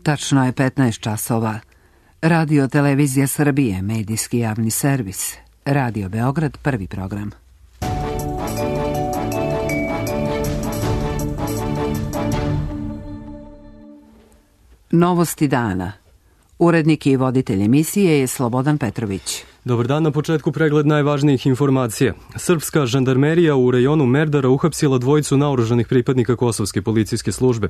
Tačno je 15 časova. Radio Televizija Srbije, medijski javni servis. Radio Beograd, prvi program. Novosti dana. Urednik i voditelj emisije je Slobodan Petrović. Dobar dan, na početku pregled najvažnijih informacija. Srpska žandarmerija u rejonu Merdara uhapsila dvojicu naoružanih pripadnika Kosovske policijske službe.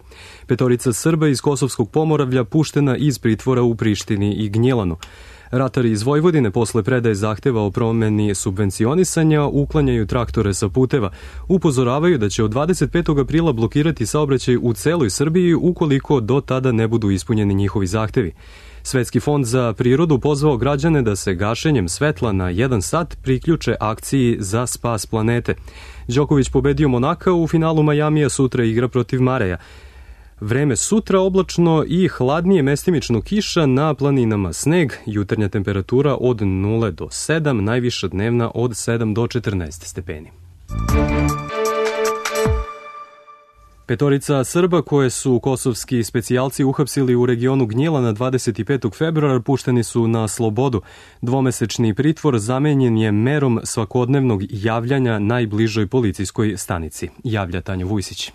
Petorica Srba iz Kosovskog Pomoravlja puštena iz pritvora u Prištini i Gnjilanu. Ratari iz Vojvodine posle predaje zahteva o promeni subvencionisanja uklanjaju traktore sa puteva. Upozoravaju da će od 25. aprila blokirati saobraćaj u celoj Srbiji ukoliko do tada ne budu ispunjeni njihovi zahtevi. Svetski fond za prirodu pozvao građane da se gašenjem svetla na 1 sat priključe akciji za spas planete. Đoković pobedio Monaka u finalu Majamija, sutra igra protiv Mareja. Vreme sutra oblačno i hladnije, mestimično kiša, na planinama sneg, jutarnja temperatura od 0 do 7, najviša dnevna od 7 do 14 stepeni. Petorica Srba koje su kosovski specijalci uhapsili u regionu Gnjilana 25. februara pušteni su na slobodu. Dvomesečni pritvor zamenjen je merom svakodnevnog javljanja najbližoj policijskoj stanici, javlja Tanja Vujsić.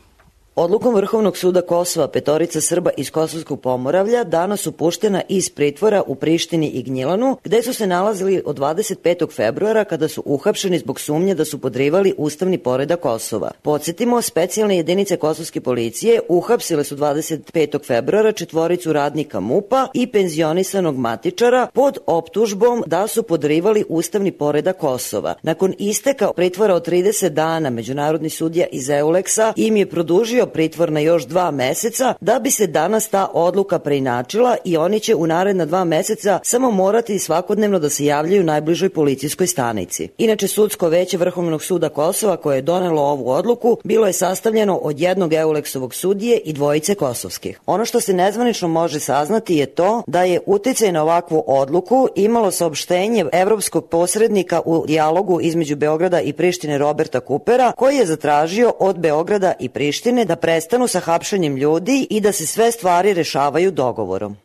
Odlukom Vrhovnog suda Kosova petorica Srba iz Kosovskog Pomoravlja danas su puštena iz pritvora u Prištini i Gnjilanu, gde su se nalazili od 25. februara kada su uhapšeni zbog sumnje da su podrivali ustavni poredak Kosova. Podsjetimo, specijalne jedinice kosovske policije uhapsile su 25. februara četvoricu radnika MUP-a i penzionisanog matičara pod optužbom da su podrivali ustavni poredak Kosova. Nakon isteka pritvora od 30 dana, međunarodni sudija iz EULEX-a im je produžio pritvor na još 2 meseca, da bi se danas ta odluka preinačila i oni će u naredna 2 meseca samo morati svakodnevno da se javljaju najbližoj policijskoj stanici. Inače, sudsko veće Vrhovnog suda Kosova koje je donelo ovu odluku bilo je sastavljeno od jednog EULEX-ovog sudije i dvojice kosovskih. Ono što se nezvanično može saznati je to da je uticaj na ovakvu odluku imalo saopštenje evropskog posrednika u dijalogu između Beograda i Prištine Roberta Kupera, koji je zatražio od Beograda i Prištine da prestanu sa hapšenjem ljudi i da se sve stvari rešavaju dogovorom.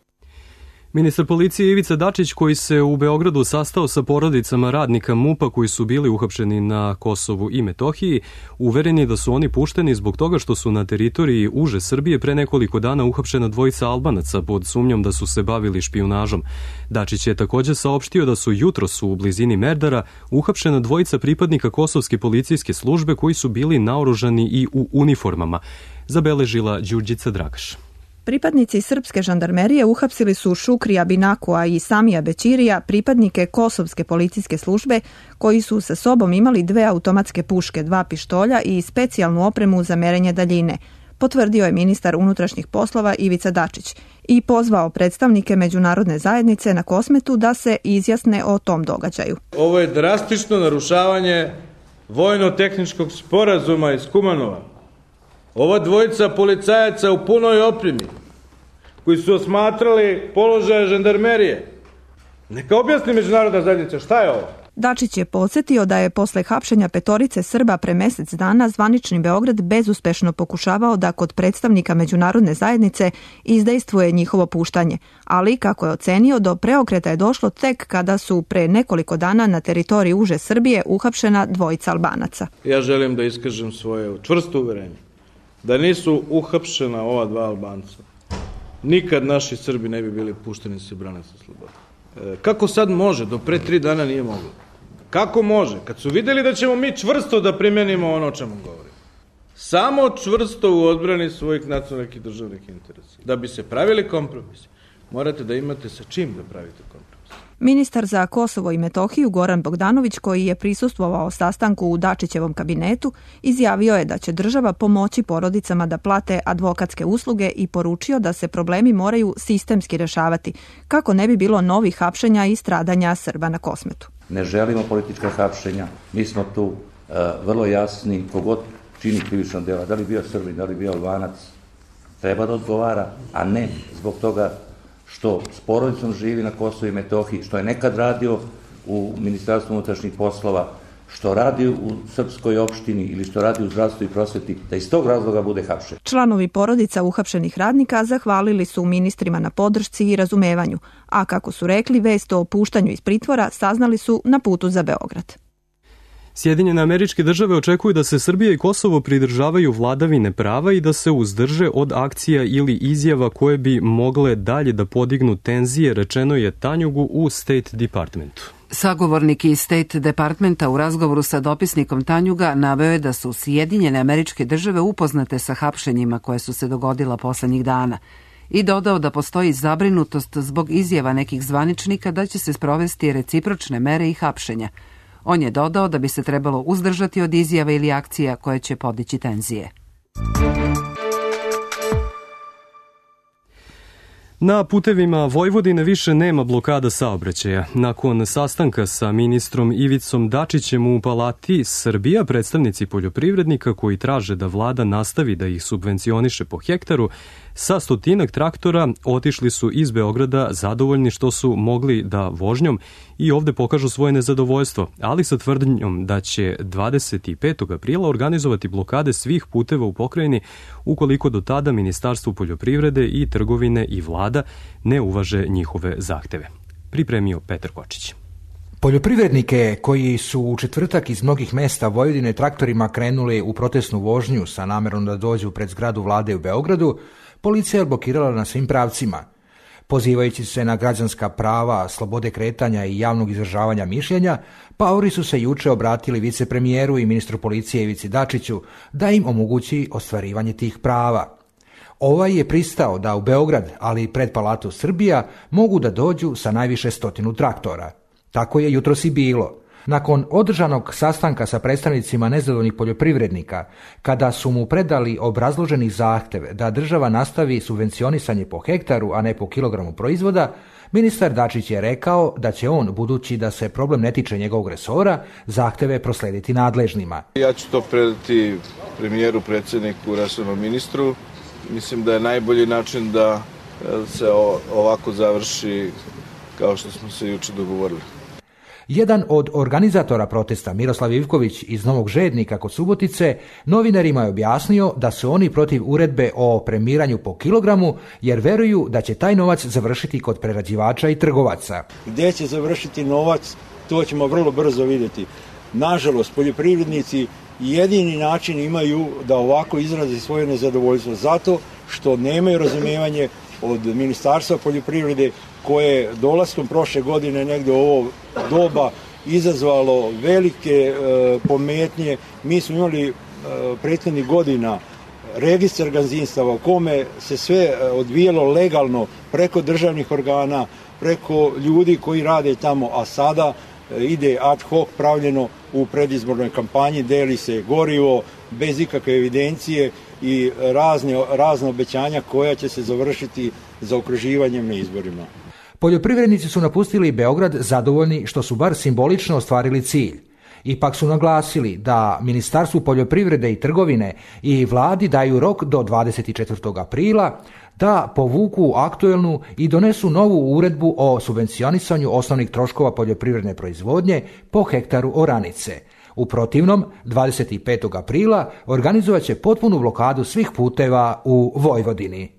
Ministar policije Ivica Dačić, koji se u Beogradu sastao sa porodicama radnika MUP-a koji su bili uhapšeni na Kosovu i Metohiji, uveren je da su oni pušteni zbog toga što su na teritoriji uže Srbije pre nekoliko dana uhapšena dvojica Albanaca pod sumnjom da su se bavili špijunažom. Dačić je također saopštio da su jutros u blizini Merdara uhapšena dvojica pripadnika Kosovske policijske službe koji su bili naoružani i u uniformama, zabeležila Đurđica Dragaš. Pripadnici srpske žandarmerije uhapsili su Šukrija Binakua i Samija Bećirija, pripadnike Kosovske policijske službe, koji su sa sobom imali 2 automatske puške, 2 pištolja i specijalnu opremu za merenje daljine, potvrdio je ministar unutrašnjih poslova Ivica Dačić i pozvao predstavnike međunarodne zajednice na Kosmetu da se izjasne o tom događaju. Ovo je drastično narušavanje vojno-tehničkog sporazuma iz Kumanova. Ova dvojica policajaca u punoj opremi, koji su osmatrali položaje žandarmerije, neka objasni međunarodna zajednica šta je ovo? Dačić je podsjetio da je posle hapšenja petorice Srba pre mesec dana zvanični Beograd bezuspešno pokušavao da kod predstavnika međunarodne zajednice izdejstvuje njihovo puštanje, ali, kako je ocenio, do preokreta je došlo tek kada su pre nekoliko dana na teritoriji uže Srbije uhapšena dvojica Albanaca. Ja želim da iskažem svoje čvrsto uverenje da nisu uhapšena ova 2 Albanca, nikad naši Srbi ne bi bili pušteni se brane sa slobodom. Kako sad može? Do pre 3 dana nije moglo. Kako može? Kad su videli da ćemo mi čvrsto da primenimo ono o čemu govorimo. Samo čvrsto u odbrani svojih nacionalnih i državnih interesa. Da bi se pravili kompromisi, morate da imate sa čim da pravite kompromis. Ministar za Kosovo i Metohiju Goran Bogdanović, koji je prisustvovao sastanku u Dačićevom kabinetu, izjavio je da će država pomoći porodicama da plate advokatske usluge i poručio da se problemi moraju sistemski rešavati, kako ne bi bilo novih hapšenja i stradanja Srba na Kosmetu. Ne želimo politička hapšenja, mi smo tu vrlo jasni, kogod čini krivično dela, da li bio Srbin, da li bio Albanac, treba da odgovara, a ne zbog toga što s porodicom živi na Kosovu i Metohiji, što je nekad radio u Ministarstvu unutrašnjih poslova, što radi u srpskoj opštini ili što radi u zdravstvu i prosveti, da iz tog razloga bude hapšen. Članovi porodica uhapšenih radnika zahvalili su ministrima na podršci i razumevanju, a kako su rekli, vest o puštanju iz pritvora saznali su na putu za Beograd. Sjedinjene Američke Države očekuju da se Srbija i Kosovo pridržavaju vladavine prava i da se uzdrže od akcija ili izjava koje bi mogle dalje da podignu tenzije, rečeno je Tanjugu u State Departmentu. Sagovornik iz State Departmenta u razgovoru sa dopisnikom Tanjuga naveo je da su Sjedinjene Američke Države upoznate sa hapšenjima koje su se dogodila poslednjih dana i dodao da postoji zabrinutost zbog izjava nekih zvaničnika da će se sprovesti recipročne mere i hapšenja. On je dodao da bi se trebalo uzdržati od izjava ili akcija koje će podići tenzije. Na putevima Vojvodine više nema blokada saobraćaja. Nakon sastanka sa ministrom Ivicom Dačićem u Palati Srbija, predstavnici poljoprivrednika koji traže da vlada nastavi da ih subvencioniše po hektaru, sa 100 traktora otišli su iz Beograda zadovoljni što su mogli da vožnjom i ovde pokažu svoje nezadovoljstvo, ali sa tvrdnjom da će 25. aprila organizovati blokade svih puteva u pokrajini ukoliko do tada Ministarstvo poljoprivrede i trgovine i vlada ne uvaže njihove zahteve. Pripremio Petar Kočić. Poljoprivrednike koji su u četvrtak iz mnogih mesta Vojvodine traktorima krenuli u protestnu vožnju sa namerom da dođu pred zgradu vlade u Beogradu, policija je blokirala na svim pravcima. Pozivajući se na građanska prava, slobode kretanja i javnog izražavanja mišljenja, paori su se juče obratili vicepremijeru i ministru policije Ivici Dačiću da im omogući ostvarivanje tih prava. Ovaj je pristao da u Beograd, ali i pred Palatu Srbija, mogu da dođu sa najviše 100 traktora. Tako je jutros i bilo. Nakon održanog sastanka sa predstavnicima nezadovoljnih poljoprivrednika, kada su mu predali obrazloženi zahtev da država nastavi subvencionisanje po hektaru, a ne po kilogramu proizvoda, ministar Dačić je rekao da će on, budući da se problem ne tiče njegovog resora, zahteve proslediti nadležnima. Ja ću to predati premijeru, predsjedniku, resornom ministru. Mislim da je najbolji način da se ovako završi kao što smo se juče dogovorili. Jedan od organizatora protesta, Miroslav Ivković iz Novog Žednika kod Subotice, novinarima je objasnio da su oni protiv uredbe o premiranju po kilogramu jer veruju da će taj novac završiti kod prerađivača i trgovaca. Gde će završiti novac, to ćemo vrlo brzo vidjeti. Nažalost, poljoprivrednici jedini način imaju da ovako izrazi svoje nezadovoljstvo zato što nemaju razumijevanje od Ministarstva poljoprivrede koje dolaskom prošle godine negde u ovo doba izazvalo velike pometnje. Mi smo imali prethodnih godina registar gazdinstava u kome se sve odvijalo legalno preko državnih organa, preko ljudi koji rade tamo, a sada ide ad hoc pravljeno u predizbornoj kampanji, deli se gorivo bez ikakve evidencije i razne obećanja koja će se završiti zaokruživanjem na izborima. Poljoprivrednici su napustili Beograd zadovoljni što su bar simbolično ostvarili cilj. Ipak su naglasili da Ministarstvu poljoprivrede i trgovine i vladi daju rok do 24. aprila da povuku aktuelnu i donesu novu uredbu o subvencionisanju osnovnih troškova poljoprivredne proizvodnje po hektaru oranice. U protivnom, 25. aprila organizovat će potpunu blokadu svih puteva u Vojvodini.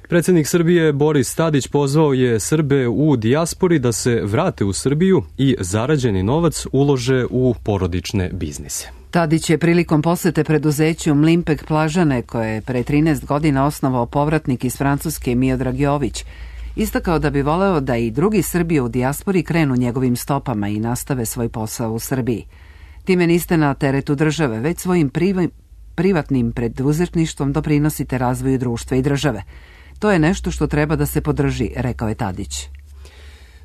Predsjednik Srbije Boris Tadić pozvao je Srbe u dijaspori da se vrate u Srbiju i zarađeni novac ulože u porodične biznise. Tadić je prilikom posete preduzeću Mlimpek Plažane, koje je pre 13 godina osnovao povratnik iz Francuske Miodrag Jović, istakao da bi voleo da i drugi Srbi u dijaspori krenu njegovim stopama i nastave svoj posao u Srbiji. Time niste na teretu države, već svojim privatnim preduzetništvom doprinosite razvoju društva i države. To je nešto što treba da se podrži, rekao je Tadić.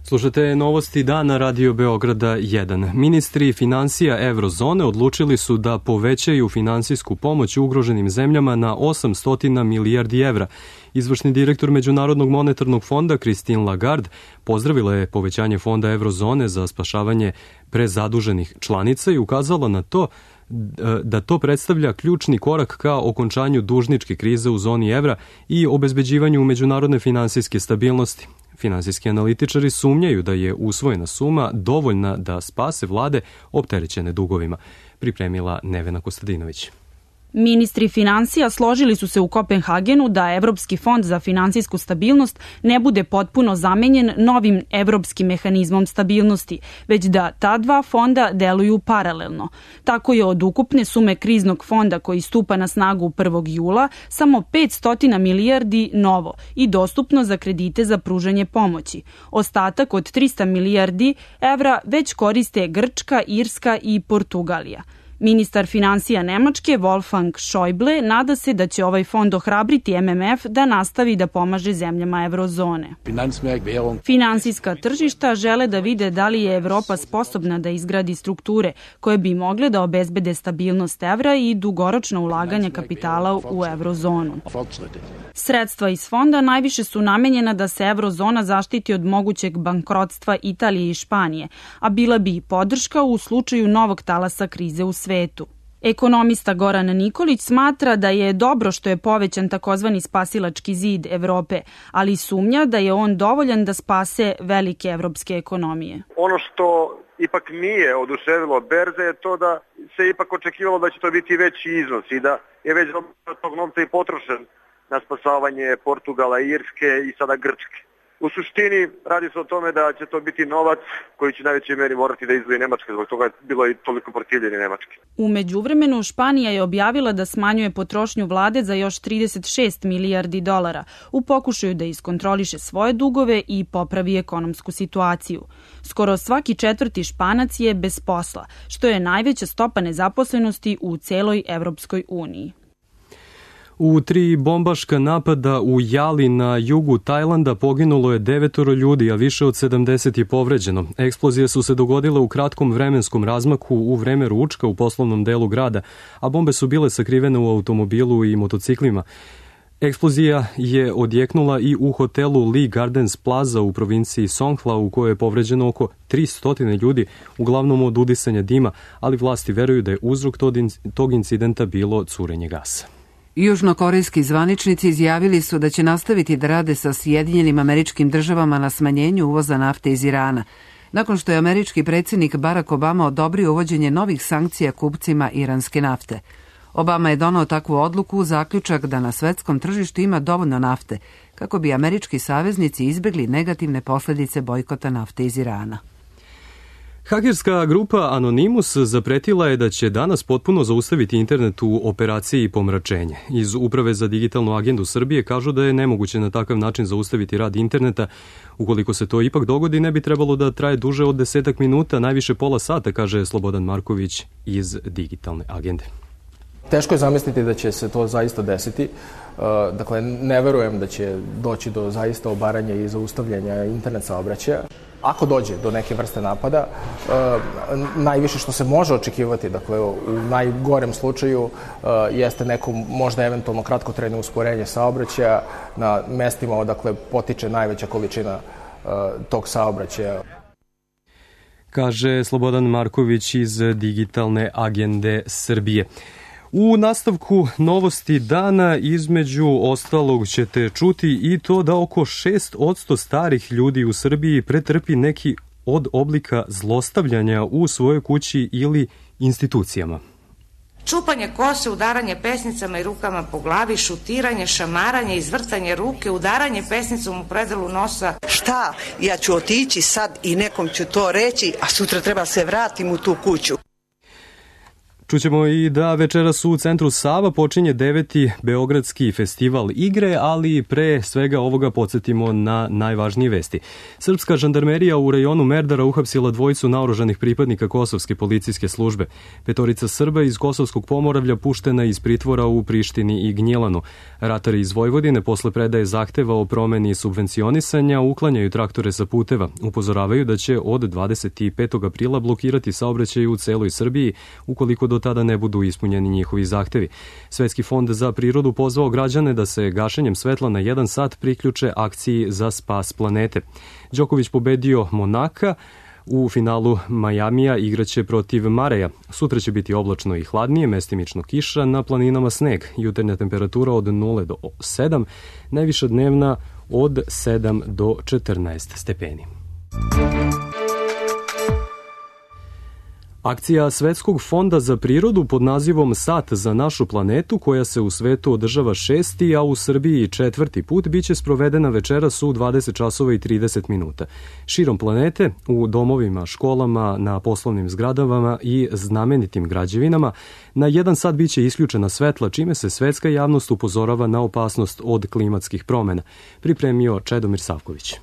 Slušate novosti dana Radio Beograda 1. Ministri financija Eurozone odlučili su da povećaju finansijsku pomoć ugroženim zemljama na 800 milijardi evra. Izvršni direktor Međunarodnog monetarnog fonda Christine Lagarde pozdravila je povećanje fonda Eurozone za spašavanje prezaduženih članica i ukazala na to da to predstavlja ključni korak ka okončanju dužničke krize u zoni evra i obezbeđivanju međunarodne finansijske stabilnosti. Finansijski analitičari sumnjaju da je usvojena suma dovoljna da spase vlade opterećene dugovima, pripremila Nevena Kostadinović. Ministri finansija složili su se u Kopenhagenu da Evropski fond za finansijsku stabilnost ne bude potpuno zamenjen novim Evropskim mehanizmom stabilnosti, već da ta dva fonda deluju paralelno. Tako je od ukupne sume kriznog fonda koji stupa na snagu 1. jula samo 500 milijardi novo i dostupno za kredite za pružanje pomoći. Ostatak od 300 milijardi evra već koriste Grčka, Irska i Portugalija. Ministar finansija Nemačke Wolfgang Schäuble nada se da će ovaj fond ohrabriti MMF da nastavi da pomaže zemljama eurozone. Finansijska tržišta žele da vide da li je Evropa sposobna da izgradi strukture koje bi mogle da obezbede stabilnost evra i dugoročno ulaganje kapitala u eurozonu. Sredstva iz fonda najviše su namenjena da se eurozona zaštiti od mogućeg bankrotstva Italije i Španije, a bila bi i podrška u slučaju novog talasa krize u svetu. Ekonomista Goran Nikolić smatra da je dobro što je povećan takozvani spasilački zid Evrope, ali sumnja da je on dovoljan da spase velike evropske ekonomije. Ono što ipak nije oduševilo berze je to da se ipak očekivalo da će to biti veći iznos i da je već tog novca i potrošen na spasavanje Portugala, Irske i sada Grčke. U suštini radi se o tome da će to biti novac koji će najvećoj meri morati da izdvoji Nemačka, zbog toga je bilo i toliko protivljenje Nemačke. U međuvremenu Španija je objavila da smanjuje potrošnju vlade za još 36 milijardi dolara u pokušaju da iskontroliše svoje dugove i popravi ekonomsku situaciju. Skoro svaki četvrti Španac je bez posla, što je najveća stopa nezaposlenosti u celoj Evropskoj uniji. U 3 bombaška napada u Jali na jugu Tajlanda poginulo je 9 ljudi, a više od 70 je povređeno. Eksplozije su se dogodile u kratkom vremenskom razmaku u vreme ručka u poslovnom delu grada, a bombe su bile sakrivene u automobilu i motociklima. Eksplozija je odjeknula i u hotelu Lee Gardens Plaza u provinciji Songkhla, u kojoj je povređeno oko 300 ljudi, uglavnom od udisanja dima, ali vlasti veruju da je uzrok tog incidenta bilo curenje gasa. Južnokorejski zvaničnici izjavili su da će nastaviti da rade sa Sjedinjenim Američkim Državama na smanjenju uvoza nafte iz Irana, nakon što je američki predsjednik Barack Obama odobrio uvođenje novih sankcija kupcima iranske nafte. Obama je donao takvu odluku u zaključak da na svetskom tržištu ima dovoljno nafte, kako bi američki saveznici izbjegli negativne posljedice bojkota nafte iz Irana. Hakerska grupa Anonymous zapretila je da će danas potpuno zaustaviti internet u operaciji pomračenje. Iz Uprave za digitalnu agendu Srbije kažu da je nemoguće na takav način zaustaviti rad interneta. Ukoliko se to ipak dogodi, ne bi trebalo da traje duže od 10 minuta, najviše pola sata, kaže Slobodan Marković iz digitalne agende. Teško je zamisliti da će se to zaista desiti. Dakle, ne verujem da će doći do zaista obaranja i zaustavljanja internet saobraćaja. Ako dođe do neke vrste napada, najviše što se može očekivati, dakle u najgorem slučaju, jeste neko možda eventualno kratkotrajno usporenje saobraćaja na mestima odakle potiče najveća količina tog saobraćaja. Kaže Slobodan Marković iz digitalne agende Srbije. U nastavku novosti dana između ostalog ćete čuti i to da oko 6% starih ljudi u Srbiji pretrpi neki od oblika zlostavljanja u svojoj kući ili institucijama. Čupanje kose, udaranje pesnicama i rukama po glavi, šutiranje, šamaranje, izvrtanje ruke, udaranje pesnicom u predelu nosa. Šta? Ja ću otići sad i nekom ću to reći, a sutra treba se vratim u tu kuću. Čućemo i da večeras u centru Sava počinje 9. Beogradski festival igre, ali pre svega ovoga podsjetimo na najvažnije vesti. Srpska žandarmerija u rejonu Merdara uhapsila 2 naoružanih pripadnika kosovske policijske službe. 5 Srba iz Kosovskog Pomoravlja puštena iz pritvora u Prištini i Gnjilanu. Ratari iz Vojvodine posle predaje zahteva o promeni subvencionisanja uklanjaju traktore sa puteva. Upozoravaju da će od 25. aprila blokirati saobraćaj u celoj Srbiji ukoliko do tada ne budu ispunjeni njihovi zahtevi. Svetski fond za prirodu pozvao građane da se gašenjem svetla na 1 sat priključe akciji za spas planete. Đoković pobedio Monaka, u finalu Majamija igraće protiv Mareja. Sutra će biti oblačno i hladnije, mestimično kiša, na planinama sneg. Jutarnja temperatura od 0 do 7, najviša dnevna od 7 do 14 stepeni. Akcija Svetskog fonda za prirodu pod nazivom Sat za našu planetu, koja se u svetu održava 6. a u Srbiji 4. put, biće sprovedena večeras u 20 časova i 30 minuta. Širom planete, u domovima, školama, na poslovnim zgradama i znamenitim građevinama, na 1 sat biće isključena svetla, čime se svetska javnost upozorava na opasnost od klimatskih promena. Pripremio Čedomir Savković.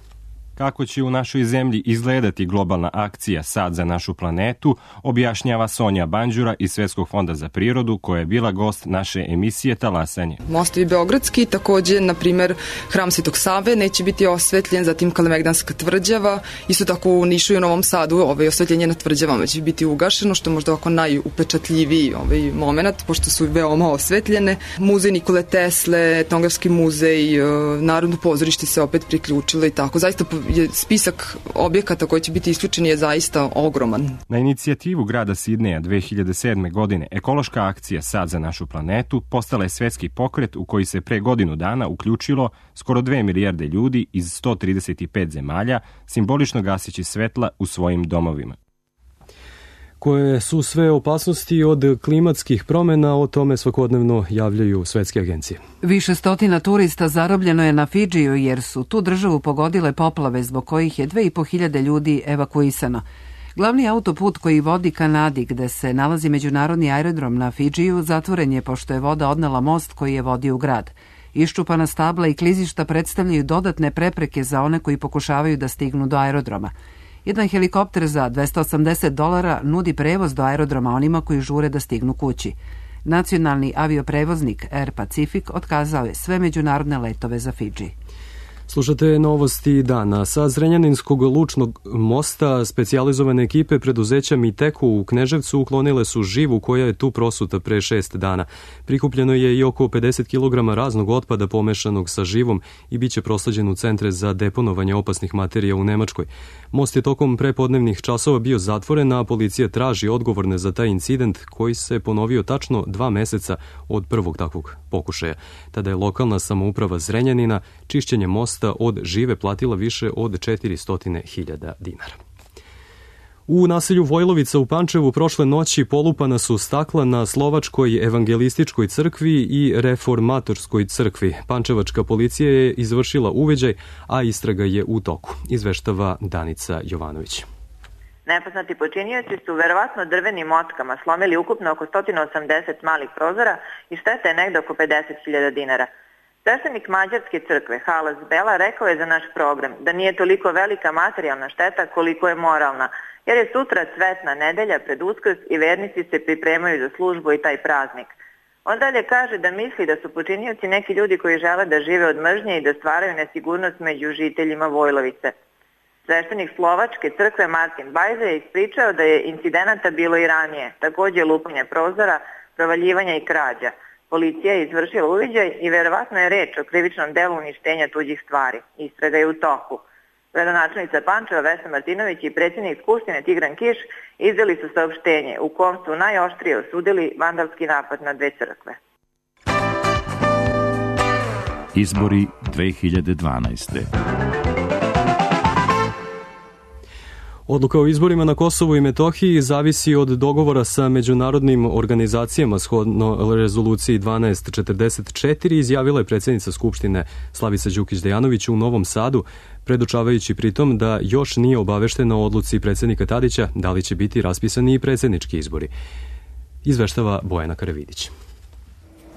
Kako će u našoj zemlji izgledati globalna akcija Sad za našu planetu, objašnjava Sonja Banđura iz Svetskog fonda za prirodu, koja je bila gost naše emisije Talasanje. Mostovi Beogradski, takođe, na primer, Hram Svetog Save neće biti osvetljen, zatim Kalemegdanska tvrđava, isto tako u Nišu i u Novom Sadu osvetljenje na tvrđavama će biti ugašeno, što je možda ovako najupečatljiviji moment, pošto su veoma osvetljene. Muzej Nikole Tesle, Etnografski muzej, Narodno pozorište se opet priključilo i tako. Zaista je spisak objekata koji će biti isključeni je zaista ogroman. Na inicijativu grada Sidneja 2007. godine ekološka akcija Sad za našu planetu postala je svetski pokret u koji se pre godinu dana uključilo skoro 2 milijarde ljudi iz 135 zemalja, simbolično gaseći svetla u svojim domovima. Koje su sve opasnosti od klimatskih promena, o tome svakodnevno javljaju svetske agencije. Više stotina turista zarobljeno je na Fidžiju jer su tu državu pogodile poplave zbog kojih je 2.500 ljudi evakuisano. Glavni autoput koji vodi ka Nadi, gde se nalazi međunarodni aerodrom na Fidžiju, zatvoren je pošto je voda odnela most koji je vodio u grad. Iščupana stabla i klizišta predstavljaju dodatne prepreke za one koji pokušavaju da stignu do aerodroma. Jedan helikopter za $280 nudi prevoz do aerodroma onima koji žure da stignu kući. Nacionalni avioprevoznik Air Pacific otkazao je sve međunarodne letove za Fidži. Slušate novosti dana. Sa Zrenjaninskog lučnog mosta specijalizovane ekipe preduzeća Miteku u Kneževcu uklonile su živu koja je tu prosuta pre 6 dana. Prikupljeno je i oko 50 kg raznog otpada pomešanog sa živom i biće prosleđen u centre za deponovanje opasnih materija u Nemačkoj. Most je tokom prepodnevnih časova bio zatvoren, a policija traži odgovorne za taj incident koji se ponovio tačno 2 meseca od prvog takvog pokušaja. Tada je lokalna samouprava Zrenjanina čišćenje mosta od žive platila više od 400.000 dinara. U naselju Vojlovica u Pančevu prošle noći polupana su stakla na Slovačkoj evangelističkoj crkvi i reformatorskoj crkvi. Pančevačka policija je izvršila uviđaj, a istraga je u toku, izveštava Danica Jovanović. Nepoznati počinioci su verovatno drvenim motkama slomili ukupno oko 180 malih prozora i šteta je negde oko 50.000 dinara. Sveštenik Mađarske crkve Halas Bela rekao je za naš program da nije toliko velika materijalna šteta koliko je moralna, jer je sutra cvetna nedelja pred Uskrs i vernici se pripremaju za službu i taj praznik. On dalje kaže da misli da su počinioci neki ljudi koji žele da žive od mržnje i da stvaraju nesigurnost među žiteljima Vojlovice. Sveštenik Slovačke crkve Martin Bajza je ispričao da je incidenata bilo i ranije, takođe lupanje prozora, provaljivanja i krađa. Policija je izvršila uviđaj i verovatno je reč o krivičnom delu uništenja tuđih stvari. Istraga je u toku. Gradonačelnica Pančeva Vesna Martinović i predsjednik Skupštine Tigran Kiš izdali su saopštenje u kom su najoštrije osudili vandalski napad na 2 crkve. Izbori 2012. Odluka o izborima na Kosovu i Metohiji zavisi od dogovora sa međunarodnim organizacijama shodno rezoluciji 1244, izjavila je predsjednica Skupštine Slavica Đukić-Dejanović u Novom Sadu, predočavajući pritom da još nije obaveštena o odluci predsjednika Tadića da li će biti raspisani i predsjednički izbori. Izveštava Bojana Karavidić.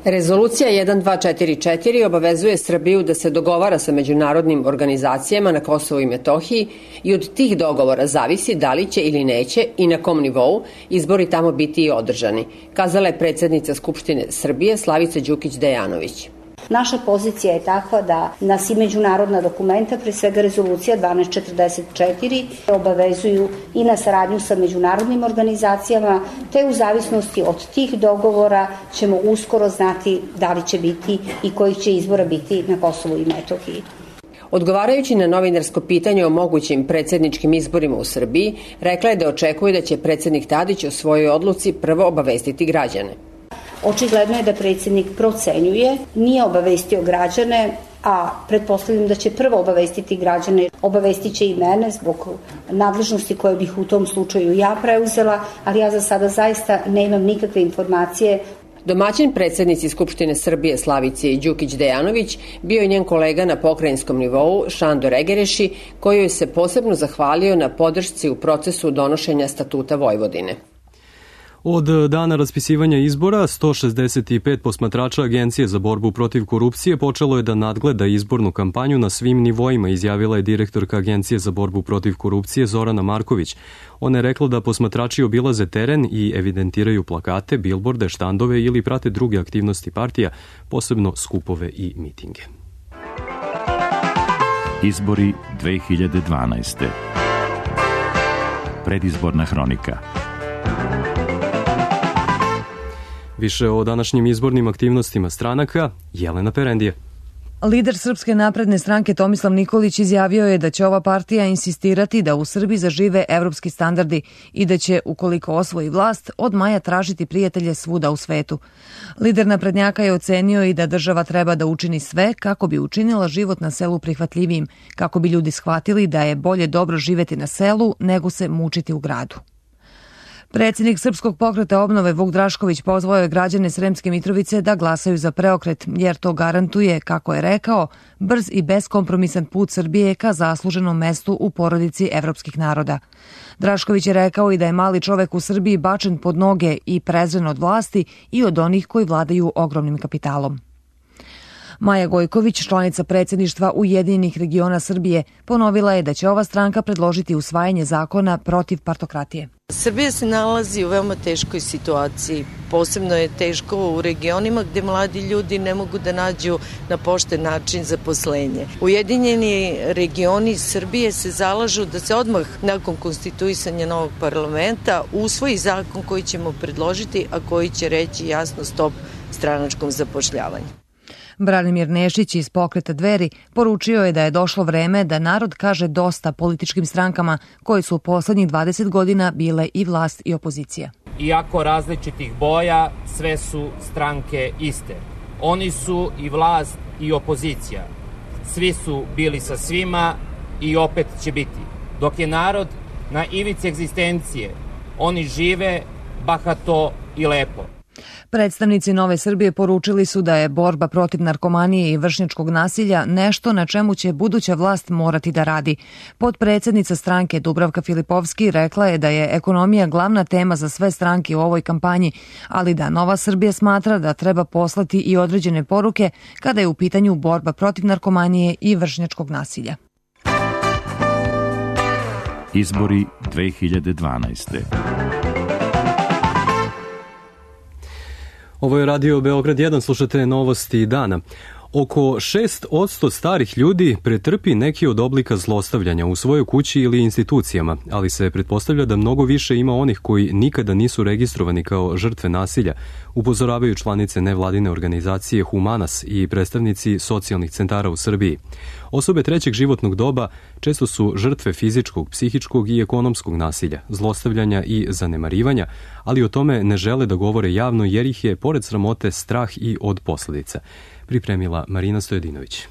Rezolucija 1244 obavezuje Srbiju da se dogovara sa međunarodnim organizacijama na Kosovu i Metohiji i od tih dogovora zavisi da li će ili neće i na kom nivou izbori tamo biti održani, kazala je predsjednica Skupštine Srbije Slavica Đukić-Dejanović. Naša pozicija je takva da nas i međunarodna dokumenta, pre svega rezolucija 1244, obavezuju i na saradnju sa međunarodnim organizacijama, te u zavisnosti od tih dogovora ćemo uskoro znati da li će biti i kojih će izbora biti na Kosovu i Metohiji. Odgovarajući na novinarsko pitanje o mogućim predsjedničkim izborima u Srbiji, rekla je da očekuje da će predsjednik Tadić o svojoj odluci prvo obavestiti građane. Očigledno je da predsjednik procenjuje, nije obavestio građane a pretpostavljam da će prvo obavestiti građane, obavestit će i mene zbog nadležnosti koje bih u tom slučaju ja preuzela, ali ja za sada zaista nemam nikakve informacije. Domaćin predsjednici Skupštine Srbije Slavice Đukić Dejanović bio je njen kolega na pokrajinskom nivou Šandor Egereši, koji joj se posebno zahvalio na podršci u procesu donošenja Statuta Vojvodine. Od dana raspisivanja izbora, 165 posmatrača Agencije za borbu protiv korupcije počelo je da nadgleda izbornu kampanju na svim nivoima, izjavila je direktorka Agencije za borbu protiv korupcije Zorana Marković. Ona je rekla da posmatrači obilaze teren i evidentiraju plakate, bilborde, štandove ili prate druge aktivnosti partija, posebno skupove i mitinge. Izbori 2012. Predizborna hronika. Više o današnjim izbornim aktivnostima stranaka, Jelena Perendije. Lider Srpske napredne stranke Tomislav Nikolić izjavio je da će ova partija insistirati da u Srbiji zažive evropski standardi i da će, ukoliko osvoji vlast, od maja tražiti prijatelje svuda u svetu. Lider naprednjaka je ocenio i da država treba da učini sve kako bi učinila život na selu prihvatljivijim, kako bi ljudi shvatili da je bolje dobro živeti na selu nego se mučiti u gradu. Predsjednik Srpskog pokreta obnove Vuk Drašković pozvao je građane Sremske Mitrovice da glasaju za preokret, jer to garantuje, kako je rekao, brz i beskompromisan put Srbije ka zasluženom mestu u porodici evropskih naroda. Drašković je rekao i da je mali čovek u Srbiji bačen pod noge i prezren od vlasti i od onih koji vladaju ogromnim kapitalom. Maja Gojković, članica predsjedništva Ujedinjenih regiona Srbije, ponovila je da će ova stranka predložiti usvajanje zakona protiv partokratije. Srbija se nalazi u veoma teškoj situaciji. Posebno je teško u regionima gde mladi ljudi ne mogu da nađu na pošten način zaposlenje. Ujedinjeni regioni Srbije se zalažu da se odmah nakon konstituisanja novog parlamenta usvoji zakon koji ćemo predložiti, a koji će reći jasno stop stranačkom zapošljavanju. Branimir Nešić iz pokreta Dveri poručio je da je došlo vreme da narod kaže dosta političkim strankama koji su u poslednjih 20 godina bile i vlast i opozicija. Iako različitih boja, sve su stranke iste. Oni su i vlast i opozicija. Svi su bili sa svima i opet će biti. Dok je narod na ivici egzistencije, oni žive bahato i lepo. Predstavnici Nove Srbije poručili su da je borba protiv narkomanije i vršnjačkog nasilja nešto na čemu će buduća vlast morati da radi. Potpredsednica stranke Dubravka Filipovski rekla je da je ekonomija glavna tema za sve stranke u ovoj kampanji, ali da Nova Srbija smatra da treba poslati i određene poruke kada je u pitanju borba protiv narkomanije i vršnjačkog nasilja. Izbori 2012. Ovo je Radio Beograd 1, slušate novosti dana. Oko 6% starih ljudi pretrpi neki od oblika zlostavljanja u svojoj kući ili institucijama, ali se pretpostavlja da mnogo više ima onih koji nikada nisu registrovani kao žrtve nasilja, upozoravaju članice nevladine organizacije Humanas i predstavnici socijalnih centara u Srbiji. Osobe trećeg životnog doba često su žrtve fizičkog, psihičkog i ekonomskog nasilja, zlostavljanja i zanemarivanja, ali o tome ne žele da govore javno jer ih je, pored sramote, strah i od posledica. Pripremila Marina Stojedinović.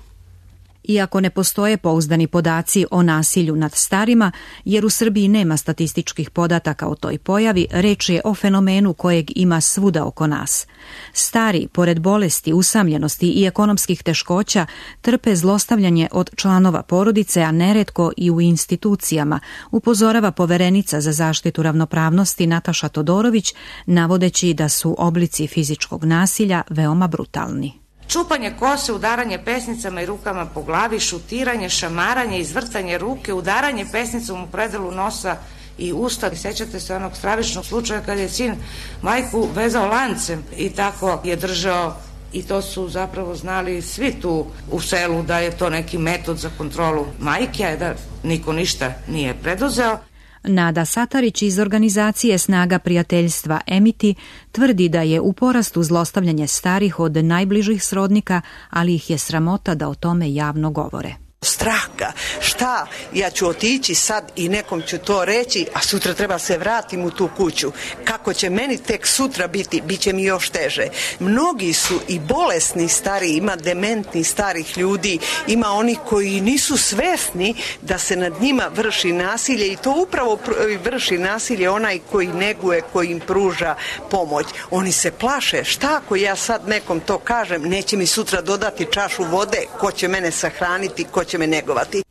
Iako ne postoje pouzdani podaci o nasilju nad starima, jer u Srbiji nema statističkih podataka o toj pojavi, reč je o fenomenu kojeg ima svuda oko nas. Stari, pored bolesti, usamljenosti i ekonomskih teškoća, trpe zlostavljanje od članova porodice, a neretko i u institucijama, upozorava poverenica za zaštitu ravnopravnosti Nataša Todorović, navodeći da su oblici fizičkog nasilja veoma brutalni. Čupanje kose, udaranje pesnicama i rukama po glavi, šutiranje, šamaranje, izvrtanje ruke, udaranje pesnicom u predelu nosa i usta. Sećate se onog stravičnog slučaja kad je sin majku vezao lancem i tako je držao, i to su zapravo znali svi tu u selu da je to neki metod za kontrolu majke, a da niko ništa nije preduzeo. Nada Satarić iz organizacije Snaga prijateljstva Emiti tvrdi da je u porastu zlostavljanje starih od najbližih srodnika, ali ih je sramota da o tome javno govore. straha. Šta? Ja ću otići sad i nekom ću to reći, a sutra treba se vratim u tu kuću. Kako će meni tek sutra biti? Biće mi još teže. Mnogi su i bolesni stari, ima dementni starih ljudi, ima oni koji nisu svesni da se nad njima vrši nasilje i to upravo vrši nasilje onaj koji neguje, koji im pruža pomoć. Oni se plaše, šta ako ja sad nekom to kažem, neće mi sutra dodati čašu vode, ko će mene sahraniti, ko će me negovati.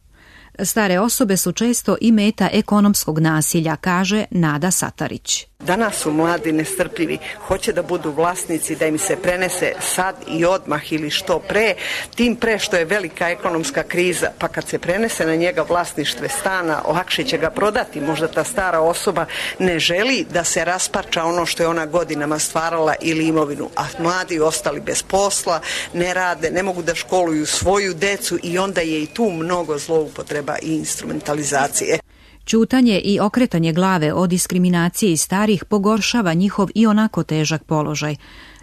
Stare osobe su često i meta ekonomskog nasilja, kaže Nada Satarić. Danas su mladi nestrpljivi, hoće da budu vlasnici, da im se prenese sad i odmah ili što pre, tim pre što je velika ekonomska kriza, pa kad se prenese na njega vlasništvo stana, lakše će ga prodati. Možda ta stara osoba ne želi da se rasparča ono što je ona godinama stvarala ili imovinu, a mladi ostali bez posla, ne rade, ne mogu da školuju svoju decu i onda je i tu mnogo zloupotreba i instrumentalizacije. Ćutanje i okretanje glave o diskriminaciji starih pogoršava njihov i onako težak položaj.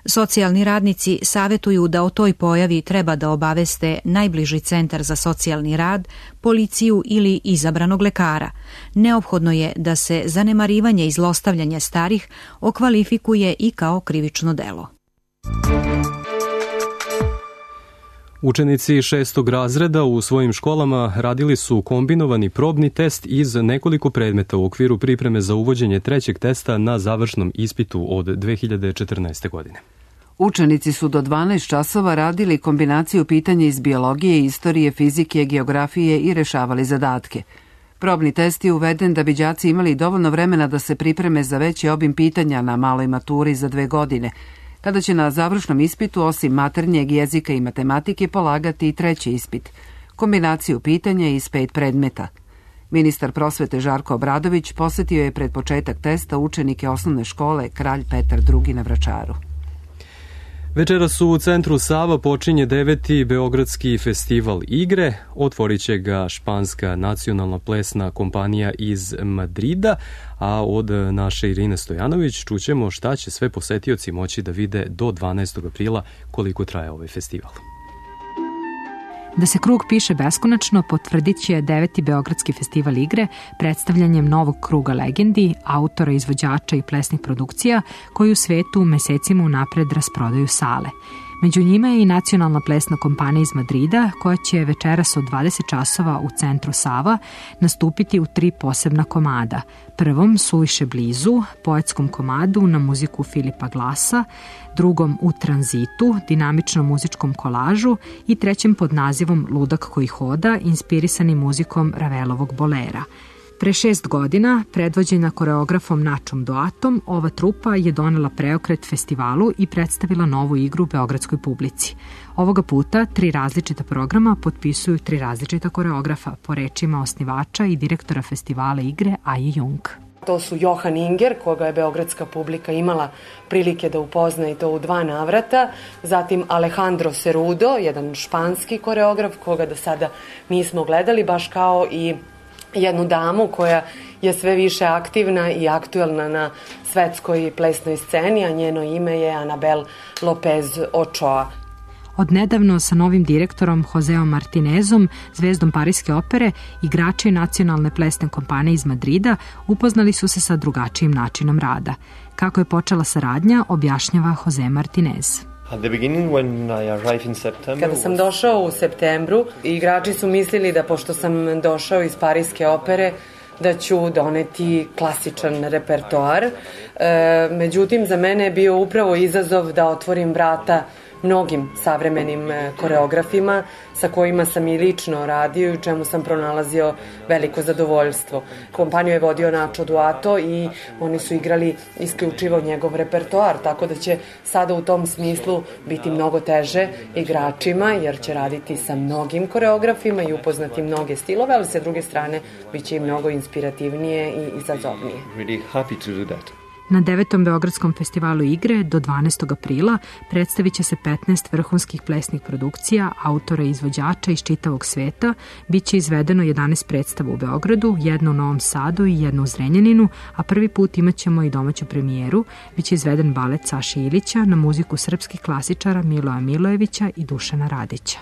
Socijalni radnici savetuju da o toj pojavi treba da obaveste najbliži centar za socijalni rad, policiju ili izabranog lekara. Neophodno je da se zanemarivanje i zlostavljanje starih okvalifikuje i kao krivično delo. Učenici 6. razreda u svojim školama radili su kombinovani probni test iz nekoliko predmeta u okviru pripreme za uvođenje trećeg testa na završnom ispitu od 2014. godine. Učenici su do 12 časova radili kombinaciju pitanja iz biologije, istorije, fizike, geografije i rešavali zadatke. Probni test je uveden da bi đaci imali dovoljno vremena da se pripreme za veći obim pitanja na maloj maturi za 2 godine, kada će na završnom ispitu osim maternjeg jezika i matematike polagati i treći ispit, kombinaciju pitanja iz 5 predmeta. Ministar prosvete Žarko Obradović posetio je pred početak testa učenike osnovne škole Kralj Petar II na Vračaru. Večeras u centru Sava počinje 9. Beogradski festival igre. Otvorit će ga španska nacionalna plesna kompanija iz Madrida, a od naše Irine Stojanović čućemo šta će sve posetioci moći da vide do 12. aprila koliko traje ovaj festival. Da se krug piše beskonačno potvrdit će 9. Beogradski festival igre predstavljanjem novog kruga legendi, autora, izvođača i plesnih produkcija koji u svetu mesecima unapred rasprodaju sale. Među njima je i nacionalna plesna kompanija iz Madrida koja će večeras od 20 časova u centru Sava nastupiti u 3 posebna komada. Prvom Suviše blizu, poetskom komadu na muziku Filipa Glasa, drugom U tranzitu, dinamičnom muzičkom kolažu i trećem pod nazivom Ludak koji hoda, inspirisani muzikom Ravelovog bolera. Pre 6 godina, predvođena koreografom Načom Doatom, ova trupa je donela preokret festivalu i predstavila novu igru beogradskoj publici. Ovoga puta 3 različita programa potpisuju 3 različita koreografa, po rečima osnivača i direktora festivala igre Aje Jung. To su Johan Inger, koga je beogradska publika imala prilike da upozna i to u 2 navrata, zatim Alejandro Cerudo, jedan španski koreograf koga do sada nismo gledali, baš kao i jednu damu koja je sve više aktivna i aktuelna na svetskoj plesnoj sceni, a njeno ime je Anabel Lopez Ochoa. Odnedavno sa novim direktorom Joseom Martinezom, zvezdom Pariske opere, igrači nacionalne plesne kompanije iz Madrida upoznali su se sa drugačijim načinom rada. Kako je počela saradnja, objašnjava Jose Martinez. Kada sam došao u septembru, igrači su mislili da pošto sam došao iz Pariske opere, da ću doneti klasičan repertoar. Međutim, za mene je bio upravo izazov da otvorim vrata mnogim savremenim koreografima sa kojima sam i lično radio i u čemu sam pronalazio veliko zadovoljstvo. Kompaniju je vodio Nacho Duato i oni su igrali isključivo njegov repertoar, tako da će sada u tom smislu biti mnogo teže igračima jer će raditi sa mnogim koreografima i upoznati mnoge stilove, ali sa druge strane bit će i mnogo inspirativnije i izazovnije. Really happy to do that. Na 9. Beogradskom festivalu igre do 12. aprila predstavit će se 15 vrhunskih plesnih produkcija, autora i izvođača iz čitavog sveta. Biće izvedeno 11 predstava u Beogradu, 1 u Novom Sadu i 1 u Zrenjaninu, a prvi put imat ćemo i domaću premijeru. Biće izveden balet Saše Ilića na muziku srpskih klasičara Miloja Milojevića i Dušana Radića.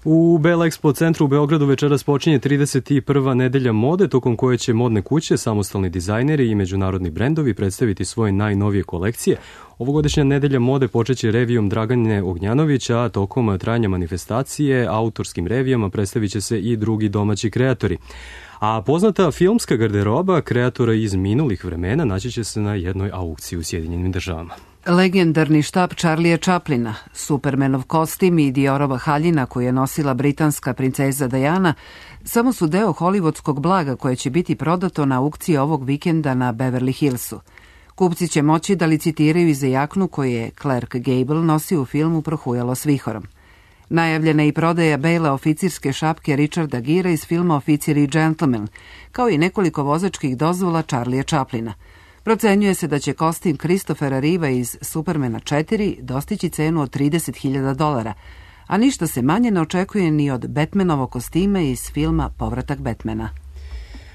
U Bell Expo centru u Beogradu večeras počinje 31. nedelja mode, tokom koje će modne kuće, samostalni dizajneri i međunarodni brendovi predstaviti svoje najnovije kolekcije. Ovogodišnja nedelja mode počeće revijom Dragane Ognjanovića, a tokom trajanja manifestacije autorskim revijama predstavit će se i drugi domaći kreatori. A poznata filmska garderoba kreatora iz minulih vremena naći će se na jednoj aukciji u Sjedinjenim Državama. Legendarni štap Charlija Chaplina, Supermanov kostim i Diorova haljina koju je nosila britanska princeza Diana samo su deo hollywoodskog blaga koje će biti prodato na aukciji ovog vikenda na Beverly Hillsu. Kupci će moći da licitiraju i za jaknu koju je Clark Gable nosio u filmu Prohujalo s vihorom. Najavljena je i prodaja bele oficirske šapke Richarda Gira iz filma Oficir i džentlmen, kao i nekoliko vozačkih dozvola Charlija Chaplina. Procenjuje se da će kostim Christophera Reeva iz Supermana 4 dostići cenu od $30.000, a ništa se manje ne očekuje ni od Batmanovog kostima iz filma Povratak Batmana.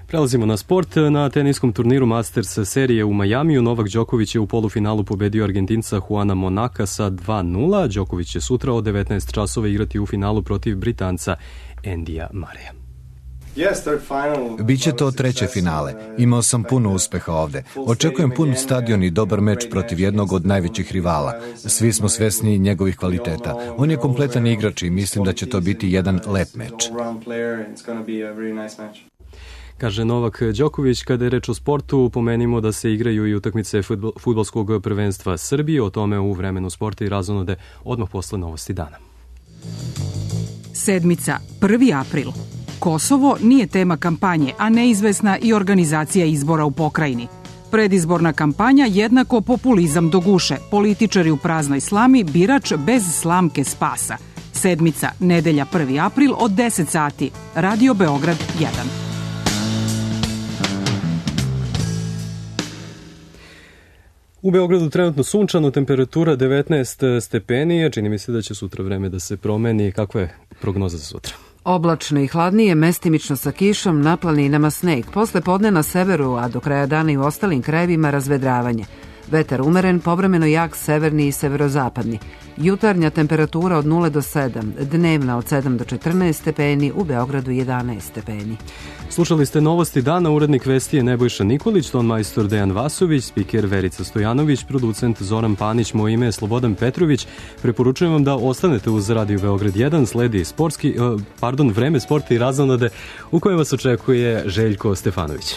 Prelazimo na sport. Na teniskom turniru Masters serije u Majamiju Novak Đoković je u polufinalu pobedio Argentinca Juana Monaka sa 2:0. Đoković će sutra od 19 časova igrati u finalu protiv Britanca Endija Mareja. Biće to treće finale. Imao sam puno uspeha ovde. Očekujem pun stadion i dobar meč protiv jednog od najvećih rivala. Svi smo svesni njegovih kvaliteta. On je kompletan igrač i mislim da će to biti jedan lep meč. Kaže Novak Đoković. Kada je reč o sportu, pomenimo da se igraju i utakmice fudbalskog prvenstva Srbije. O tome u vremenu sporta i razonode odmah posle novosti dana. Sedmica, 1. april. Kosovo nije tema kampanje, a neizvesna i organizacija izbora u pokrajini. Predizborna kampanja jednako populizam do guše, političari u praznoj slami, birač bez slamke spasa. Sedmica, nedelja 1. april od 10 sati. Radio Beograd 1. U Beogradu trenutno sunčano, temperatura 19 stepeni, čini mi se da će sutra vreme da se promeni. Kakva je prognoza za sutra? Oblačno i hladnije, mestimično sa kišom, na planinama sneg. Posle podne na severu, a do kraja dana i u ostalim krajevima razvedravanje. Vetar umeren, povremeno jak severni i severozapadni. Jutarnja temperatura od 0 do 7, dnevna od 7 do 14 stepeni, u Beogradu 11 stepeni. Slušali ste novosti dana, urednik vesti je Nebojša Nikolić, ton majstor Dejan Vasović, spiker Verica Stojanović, producent Zoran Panić, moje ime je Slobodan Petrović. Preporučujem vam da ostanete uz Radio Beograd 1, sledi vreme sporta i razonode u kojem vas očekuje Željko Stefanović.